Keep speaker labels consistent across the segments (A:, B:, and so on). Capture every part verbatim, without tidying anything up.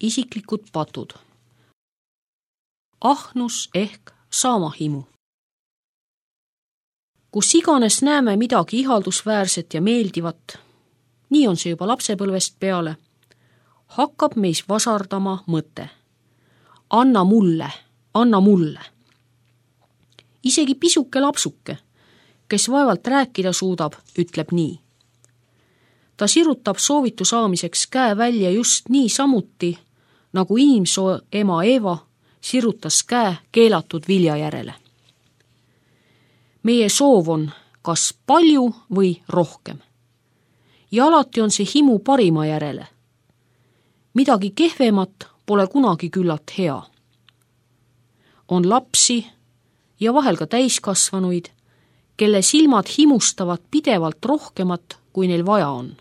A: isiklikud patud. Ahnus ehk saamahimu. Kus iganes näeme midagi ihaldusväärset ja meeldivat, nii on see juba lapsepõlvest peale, hakkab meis vasardama mõte. Anna mulle, anna mulle. Isegi pisuke lapsuke, kes vaevalt rääkida suudab, ütleb nii. Ta sirutab soovitu saamiseks käe välja just nii samuti, nagu inimsoo ema Eeva sirutas käe keelatud vilja järele. Meie soov on kas palju või rohkem. Ja alati on see himu parima järele. Midagi kehvemat pole kunagi küllalt hea. On lapsi ja vahel ka täiskasvanuid, kelle silmad himustavad pidevalt rohkemat, kui neil vaja on.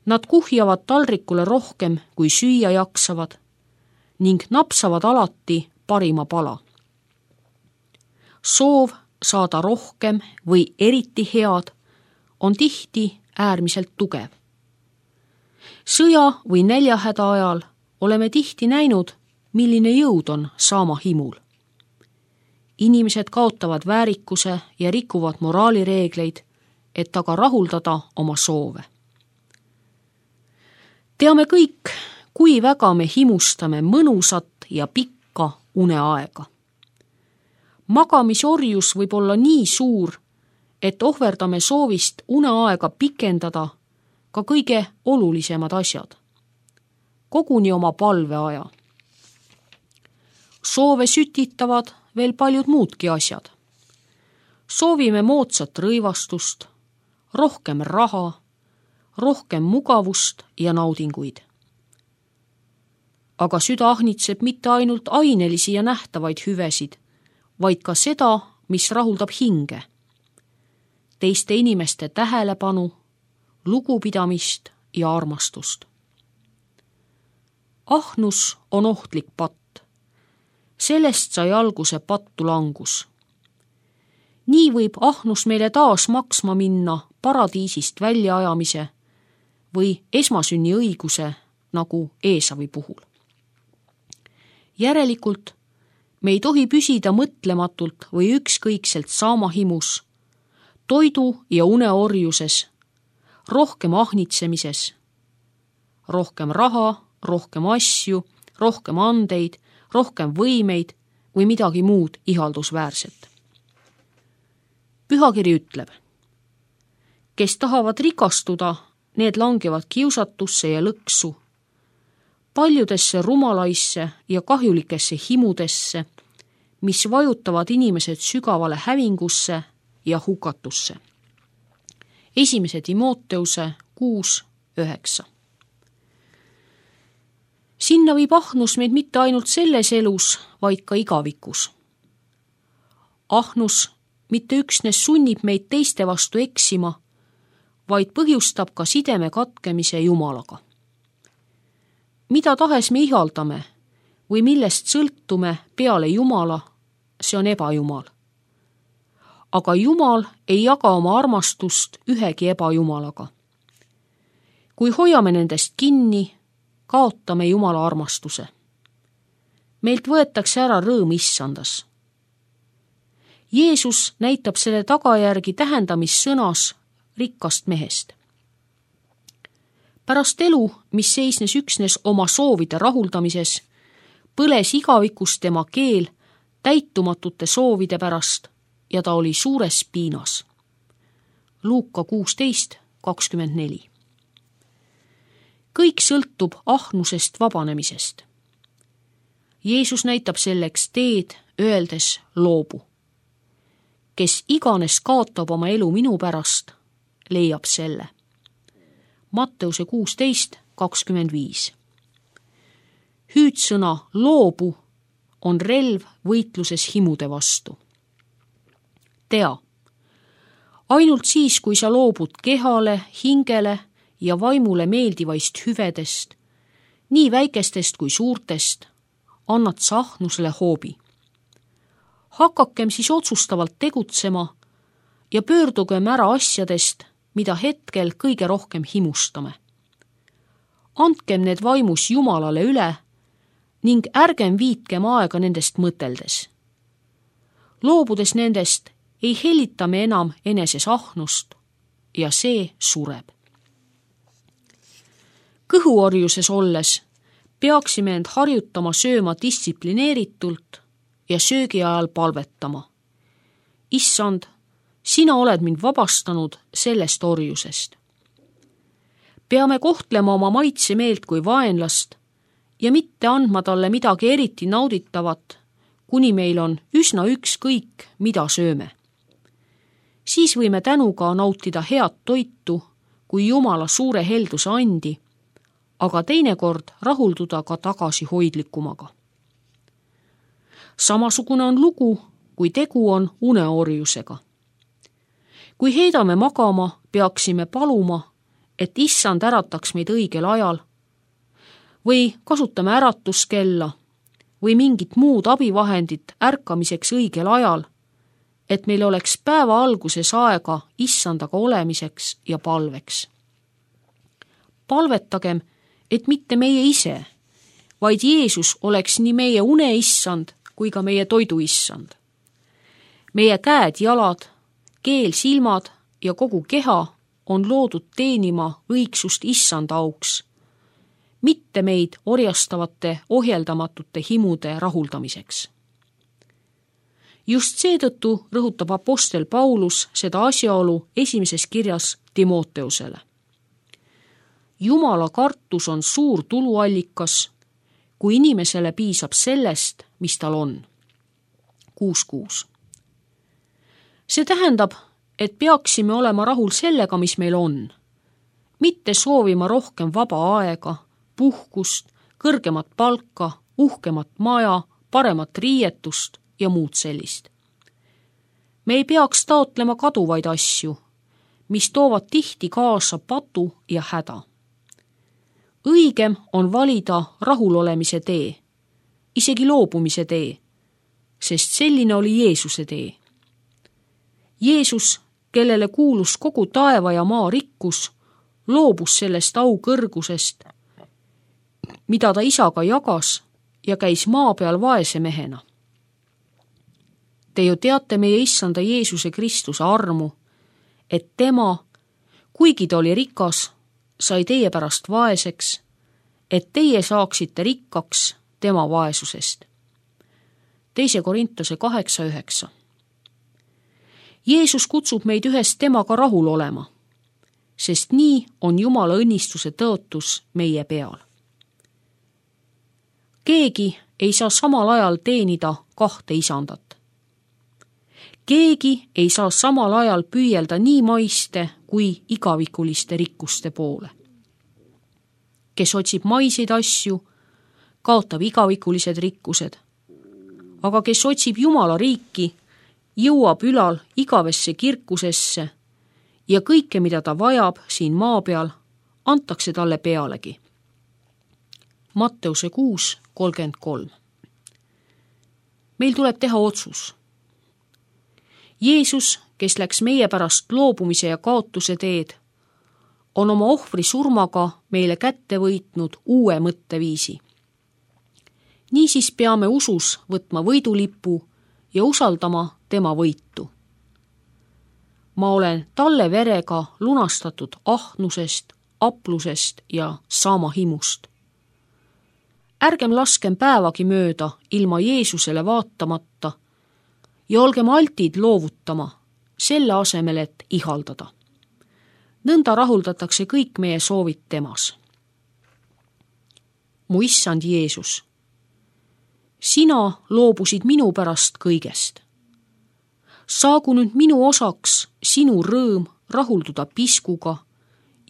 A: Nad kuhjavad taldrikule rohkem, kui süüa jaksavad ning napsavad alati parima pala. Soov saada rohkem või eriti head on tihti äärmiselt tugev. Sõja või näljahäda ajal oleme tihti näinud, milline jõud on saamahimul. Inimesed kaotavad väärikuse ja rikuvad moraalireegleid, et aga rahuldada oma soove. Teame kõik, kui väga me himustame mõnusat ja pikka uneaega. Magamisorjus võib olla nii suur, et ohverdame soovist uneaega pikendada ka kõige olulisemad asjad. Koguni oma palveaja. Soove sütitavad veel paljud muudki asjad. Soovime moodsat rõivastust, rohkem raha, rohkem mugavust ja naudinguid. Aga süda ahnitseb mitte ainult ainelisi ja nähtavaid hüvesid, vaid ka seda, mis rahuldab hinge. Teiste inimeste tähelepanu, lugupidamist ja armastust. Ahnus on ohtlik patt. Sellest sai alguse pattu langus. Nii võib ahnus meile taas maksma minna paradiisist väljaajamise või esmasünni õiguse nagu Eesavi puhul. Järelikult me ei tohi püsida mõtlematult või ükskõikselt saamahimus, toidu ja uneorjuses, rohkem ahnitsemises, rohkem raha, rohkem asju, rohkem andeid, rohkem võimeid või midagi muud ihaldusväärset. Pühakiri ütleb, kes tahavad rikastuda, need langevad kiusatusse ja lõksu, paljudesse rumalaisse ja kahjulikesse himudesse, mis vajutavad inimesed sügavale hävingusse ja hukatusse. Esimese Timoteuse kuus üheksa. Sinna viib ahnus meid mitte ainult selles elus, vaid ka igavikus. Ahnus mitte üksnes sunnib meid teiste vastu eksima, vaid põhjustab ka sideme katkemise Jumalaga. Mida tahes me ihaldame või millest sõltume peale Jumala, see on ebajumal. Aga Jumal ei jaga oma armastust ühegi ebajumalaga. Kui hoiame nendest kinni, kaotame Jumala armastuse. Meilt võetakse ära rõõm issandas. Jeesus näitab selle tagajärgi tähendamissõnas rikkast mehest. Pärast elu, mis seisnes üksnes oma soovide rahuldamises, põles igavikus tema keel täitumatute soovide pärast ja ta oli suures piinas. Luuka kuusteist kakskümmend neli. Kõik sõltub ahnusest vabanemisest. Jeesus näitab selleks teed, öeldes loobu. Kes iganes kaotab oma elu minu pärast, leiab selle. Matteuse kuusteist kakskümmend viis. Hüüdsõna loobu on relv võitluses himude vastu. Tea, ainult siis, kui sa loobud kehale, hingele ja vaimule meeldivaist hüvedest, nii väikestest kui suurtest, annad sa ahnusele hoobi. Hakakem siis otsustavalt tegutsema ja pöördugem ära asjadest, mida hetkel kõige rohkem himustame. andkem need vaimus Jumalale üle ning ärgem viitkem aega nendest mõteldes. Loobudes nendest ei hellita me enam eneses ahnust ja see sureb. Kõhuorjuses olles peaksime end harjutama sööma distsiplineeritult ja söögi ajal palvetama. Issand, sina oled mind vabastanud sellest orjusest. Peame kohtlema oma maitsemeelt kui vaenlast ja mitte andma talle midagi eriti nauditavat, kuni meil on üsna ükskõik, mida sööme. Siis võime tänuga nautida head toitu kui Jumala suure helduse andi, aga teinekord rahulduda ka tagasihoidlikumaga. Samasugune on lugu, kui tegu on uneorjusega. Kui heidame magama, peaksime paluma, et Issand ärataks meid õigel ajal või kasutame äratuskella või mingit muud abivahendit ärkamiseks õigel ajal, et meil oleks päeva alguses aega Issandaga olemiseks ja palveks. Palvetagem, et mitte meie ise, vaid Jeesus oleks nii meie uneissand kui ka meie toiduissand. Meie käed, jalad, keel, silmad ja kogu keha on loodud teenima õigsust Issanda auks, mitte meid orjastavate ohjeldamatute himude rahuldamiseks. Just seetõttu rõhutab apostel Paulus seda asjaolu esimeses kirjas Timoteusele. Jumala kartus on suur tuluallikas, kui inimesele piisab sellest, mis tal on. kuus kuus. See tähendab, et peaksime olema rahul sellega, mis meil on, mitte soovima rohkem vaba aega, puhkust, kõrgemat palka, uhkemat maja, paremat riietust ja muud sellist. Me ei peaks taotlema kaduvaid asju, mis toovad tihti kaasa patu ja häda. Õigem on valida rahulolemise tee, isegi loobumise tee, sest selline oli Jeesuse tee. Jeesus, kellele kuulus kogu taeva ja maa rikkus, loobus sellest au kõrgusest, mida ta isaga jagas ja käis maa peal vaese mehena. Te ju teate meie Issanda Jeesuse Kristuse armu, et tema, kuigi ta oli rikas, sai teie pärast vaeseks, et teie saaksite rikkaks tema vaesusest. Teise Korintuse kaheksa üheksa. Jeesus kutsub meid ühes temaga rahul olema, sest nii on Jumala õnnistuse tõotus meie peal. Keegi ei saa samal ajal teenida kahte isandat. Keegi ei saa samal ajal püüelda nii maiste kui igavikuliste rikkuste poole. Kes otsib maiseid asju, kaotab igavikulised rikkused, aga kes otsib Jumala riiki, jõuab ülal igavesse kirkusesse ja kõike, mida ta vajab siin maa peal, antakse talle pealegi. Matteuse kuus kolmkümmend kolm. Meil tuleb teha otsus. Jeesus, kes läks meie pärast loobumise ja kaotuse teed, on oma ohvri surmaga meile kätte võitnud uue mõtteviisi. Niisiis peame usus võtma võidulipu ja usaldama tema võitu. Ma olen talle verega lunastatud ahnusest, aplusest ja saamahimust. Ärgem laskem päevagi mööda ilma Jeesusele vaatamata ja olgem altid loovutama, selle asemel, et ihaldada. Nõnda rahuldatakse kõik meie soovid temas. Mu Issand Jeesus, sina loobusid minu pärast kõigest. Saagu nüüd minu osaks sinu rõõm rahulduda piskuga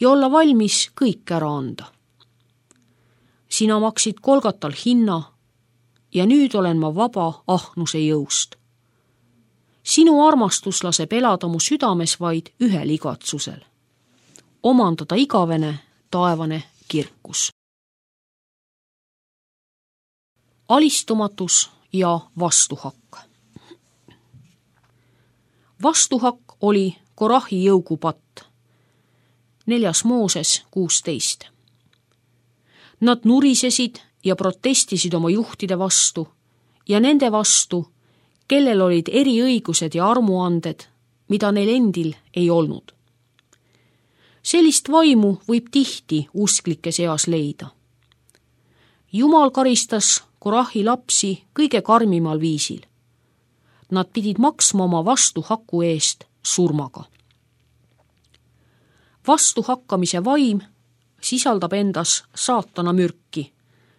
A: ja olla valmis kõik ära anda. Sina maksid Golgatal hinna ja nüüd olen ma vaba ahnuse jõust. Sinu armastus laseb elada mu südames vaid ühel igatsusel. Omandada igavene, taevane kirkus. Alistumatus ja vastuhakk. Vastuhakk oli Korahi jõugupatt. Neljas Mooses kuusteist. Nad nurisesid ja protestisid oma juhtide vastu ja nende vastu, kellel olid eriõigused ja armuanded, mida neil endil ei olnud. Sellist vaimu võib tihti usklike seas leida. Jumal karistas Korahi lapsi kõige karmimal viisil. Nad pidid maksma oma vastuhaku eest surmaga. Vastuhakkamise vaim sisaldab endas saatana mürki,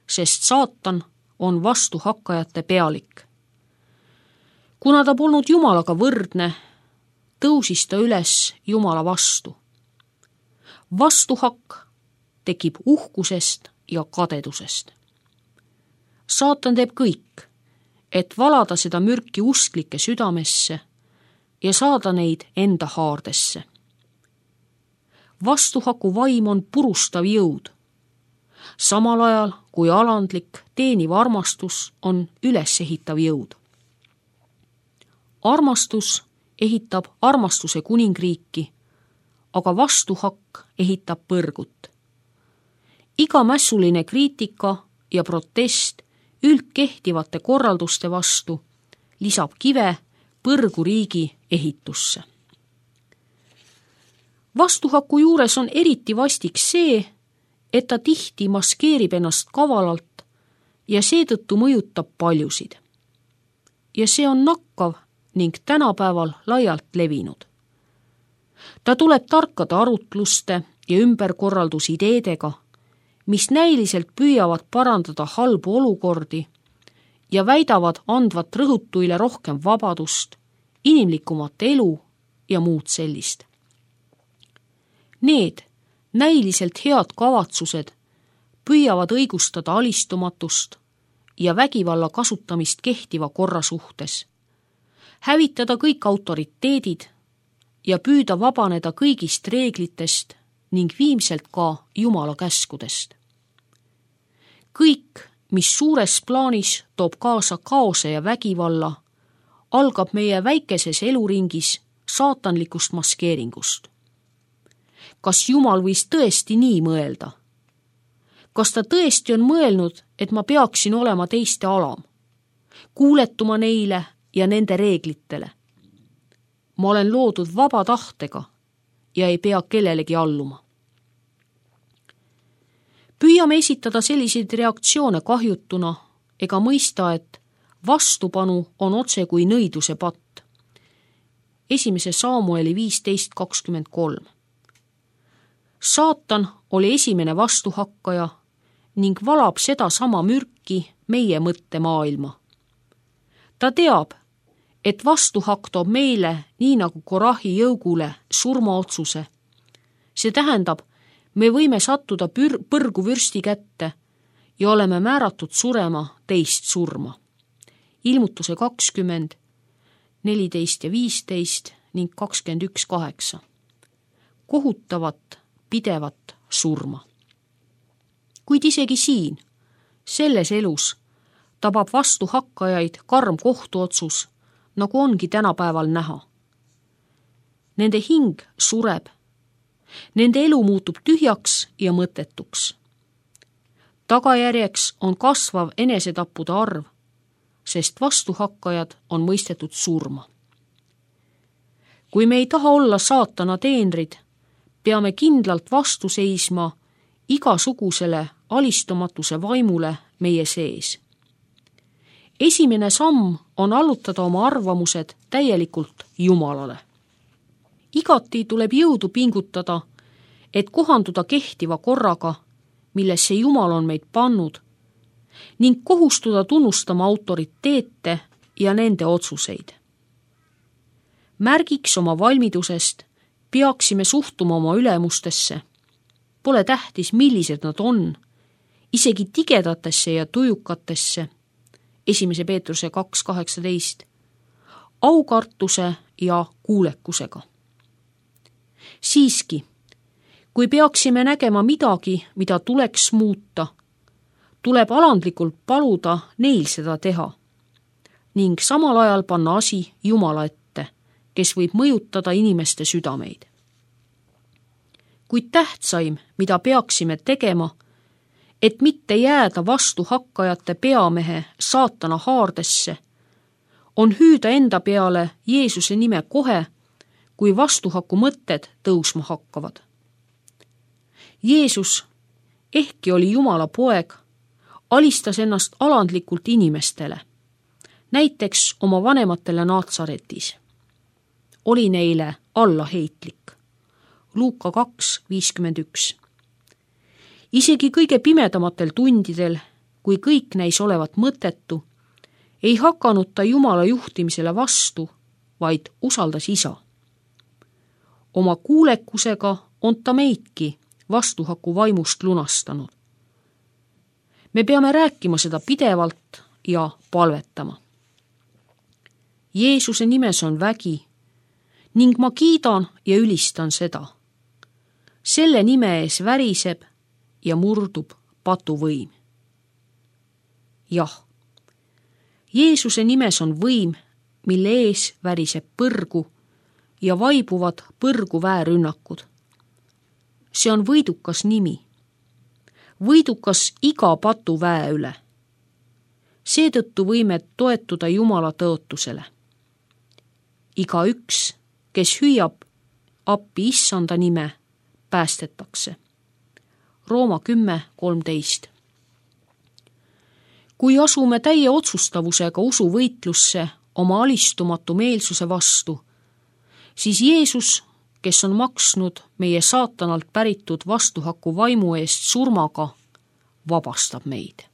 A: sest saatan on vastuhakkajate pealik. Kuna ta polnud Jumalaga võrdne, tõusis ta üles Jumala vastu. Vastuhakk tekib uhkusest ja kadedusest. Saatan teeb kõik, et valada seda mürki usklike südamesse ja saada neid enda haardesse. Vastuhaku vaim on purustav jõud, samal ajal kui alandlik teeniv armastus on ülesehitav jõud. Armastus ehitab armastuse kuningriiki, aga vastuhakk ehitab põrgut. Iga mässuline kriitika ja protest üldkehtivate korralduste vastu lisab kive põrguriigi ehitusse. Vastuhaku juures on eriti vastik see, et ta tihti maskeerib ennast kavalalt ja seetõttu mõjutab paljusid. Ja see on nakkav ning tänapäeval laialt levinud. Ta tuleb tarkade arutluste ja ümberkorraldusideedega, mis näiliselt püüavad parandada halbu olukordi ja väidavad andvat rõhutuile rohkem vabadust, inimlikumat elu ja muud sellist. Need näiliselt head kavatsused püüavad õigustada alistumatust ja vägivalla kasutamist kehtiva korra suhtes, hävitada kõik autoriteedid ja püüda vabaneda kõigist reeglitest ning viimselt ka Jumala käskudest. Kõik, mis suures plaanis toob kaasa kaose ja vägivalla, algab meie väikeses eluringis saatanlikust maskeeringust. Kas Jumal võis tõesti nii mõelda? Kas ta tõesti on mõelnud, et ma peaksin olema teiste alam, kuuletuma neile ja nende reeglitele? Ma olen loodud vaba tahtega ja ei pea kellelegi alluma. Püüame esitada selliseid reaktsioone kahjutuna ega mõista, et vastupanu on otse kui nõiduse patt. Esimese Saamueli viisteist kakskümmend kolm. Saatan oli esimene vastuhakkaja ning valab seda sama mürki meie mõttemaailma. Ta teab, et vastuhakk toob meile, nii nagu Korahi jõugule, surmaotsuse. See tähendab, me võime sattuda pür- põrgu vürsti kätte ja oleme määratud surema teist surma. Ilmutuse kakskümmend, neliteist ja viisteist ning kakskümmend üks kaheksa. Kohutavat, pidevat surma. Kuid isegi siin, selles elus, tabab vastuhakkajaid karm kohtuotsus, nagu ongi tänapäeval näha. Nende hing sureb. Nende elu muutub tühjaks ja mõttetuks. Tagajärjeks on kasvav enesetappude arv, sest vastuhakkajad on mõistetud surma. Kui me ei taha olla saatana teenrid, peame kindlalt vastu seisma igasugusele alistumatuse vaimule meie sees. Esimene samm on allutada oma arvamused täielikult Jumalale. Igati tuleb jõudu pingutada, et kohanduda kehtiva korraga, millesse Jumal on meid pannud, ning kohustuda tunnustama autoriteete ja nende otsuseid. Märgiks oma valmidusest peaksime suhtuma oma ülemustesse. Pole tähtis, millised nad on, isegi tigedatesse ja tujukatesse, esimese Peetruse kaks kaheksateist, aukartuse ja kuulekusega. Siiski, kui peaksime nägema midagi, mida tuleks muuta, tuleb alandlikult paluda neil seda teha ning samal ajal panna asi Jumala ette, kes võib mõjutada inimeste südameid. Kuid tähtsaim, mida peaksime tegema, et mitte jääda vastuhakkajate peamehe saatana haardesse, on hüüda enda peale Jeesuse nime kohe, kui vastuhaku mõtted tõusma hakkavad. Jeesus, ehkki oli Jumala poeg, alistas ennast alandlikult inimestele, näiteks oma vanematele Naatsaretis. Oli neile allaheitlik. Luuka kaks viiskümmend üks. Isegi kõige pimedamatel tundidel, kui kõik näis olevat mõttetu, ei hakanud ta Jumala juhtimisele vastu, vaid usaldas Isa. Oma kuulekusega on ta meidki vastuhaku vaimust lunastanud. Me peame rääkima seda pidevalt ja palvetama. Jeesuse nimes on vägi ning ma kiidan ja ülistan seda. Selle nime ees väriseb ja murdub patuvõim. Jah, Jeesuse nimes on võim, mille ees väriseb põrgu ja vaibuvad põrgu väärünnakud. See on võidukas nimi. Võidukas iga patuväe üle. Seetõttu võime toetuda Jumala tõotusele. Iga üks, kes hüüab appi issanda nime, päästetakse. Rooma kümme kolmteist. Kui asume täie otsustavusega usuvõitlusse oma alistumatu meelsuse vastu, siis Jeesus, kes on maksnud meie saatanalt päritud vastuhaku vaimu eest surmaga, vabastab meid.